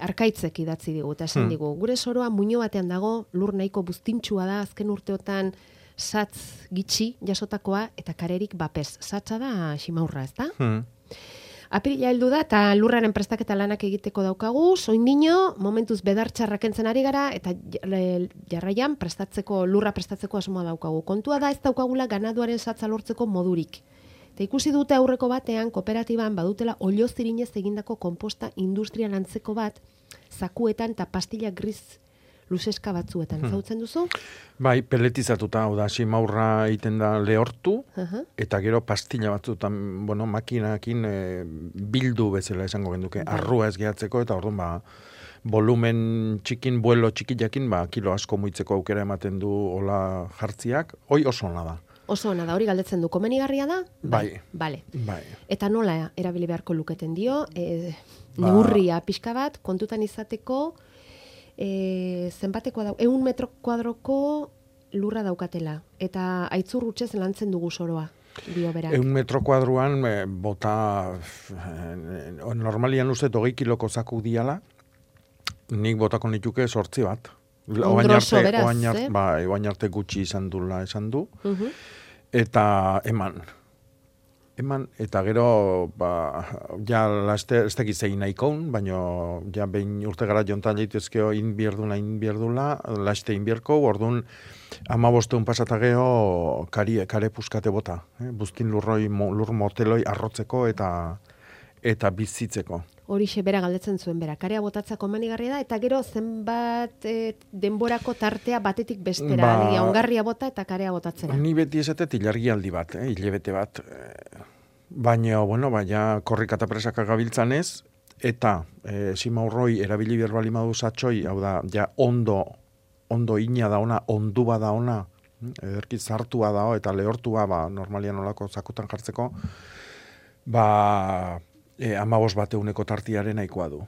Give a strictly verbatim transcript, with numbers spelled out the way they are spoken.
Arkaitzek idatzi digu, eta esan Hmm. digu, gure soroa muino batean dago, lur nahiko buztintxua da, azken urteotan satz gitxi jasotakoa, eta karerik bapez. Satza da ximaurra, ez da? Hmm. Apirila heldu da, eta lurraren prestaketa lanak egiteko daukagu, soindino, momentuz bedartxarrak entzen ari gara, eta j- jarraian prestatzeko, lurra prestatzeko asmoa daukagu. Kontua da ez daukagula ganaduaren satza lortzeko modurik. Eta ikusi dute aurreko batean, kooperatiban badutela oliozirinez egindako komposta industrial antzeko bat, zakuetan eta pastilla gris luzeska batzuetan. Hmm. Zautzen duzu? Bai, peletizatuta, hau da, simaurra egiten da lehortu, Aha. eta gero pastilla batzutan, bueno, makinakin e, bildu bezala esango genduke, Bai. arrua ez gehatzeko, eta orduan, ba, volumen txikin, buelo txikiakin, ba, kilo asko muitzeko aukera ematen du hola jartziak, hoi oso ona da. Oso ona da, hori galdetzen du, komenigarria da? Bai. Bale. Bai. Eta nola erabili beharko luketen dio, e, Ba- neurria pixka bat, kontutan izateko, e, zenbatekoa da, eun metro kuadroko lurra daukatela, eta aitzur hutsez lantzen dugu soroa, dio berak. Eun metro kuadruan e, bota, e, normalian uste hogei kiloko zaku diala, nik botako nituke sortzi bat. Oain Ondroso, arte, beraz, oain arte, eh? bai, oain arte gutxi izan dula esan du, Mhm. eta eman. Eman, eta gero, ba, ja, laste, ez dakit zein nahikoun, baina ja, behin urte gara jontan jaitezkeo inbierdula, inbierdula, laste inbierko, orduan, ama bosteun pasata geho, kari, kare puskate bota, eh? Buztin lurroi, mo, lur moteloi arrotzeko eta eta bizitzeko. Horixe bera galdetzen zuen bera, karea botatza komenigarria da, eta gero zenbat e, denborako tartea batetik bestera, Ba- alegia ongarria bota eta karea botatzera. Ni beti esatet ilargialdi bat, eh? Hilebete bat. Eh, baina, bueno, baina korrika eta presaka gabiltzanez, eta eh, simaurroi erabili berbali madu satxoi, hau da, ja ondo, ondo ina da ona, ondua da ona, ederki zartua da, eta lehortua, ba, normalian olako zakutan jartzeko, ba, e, amabos bat euneko tartiaren nahikoa du.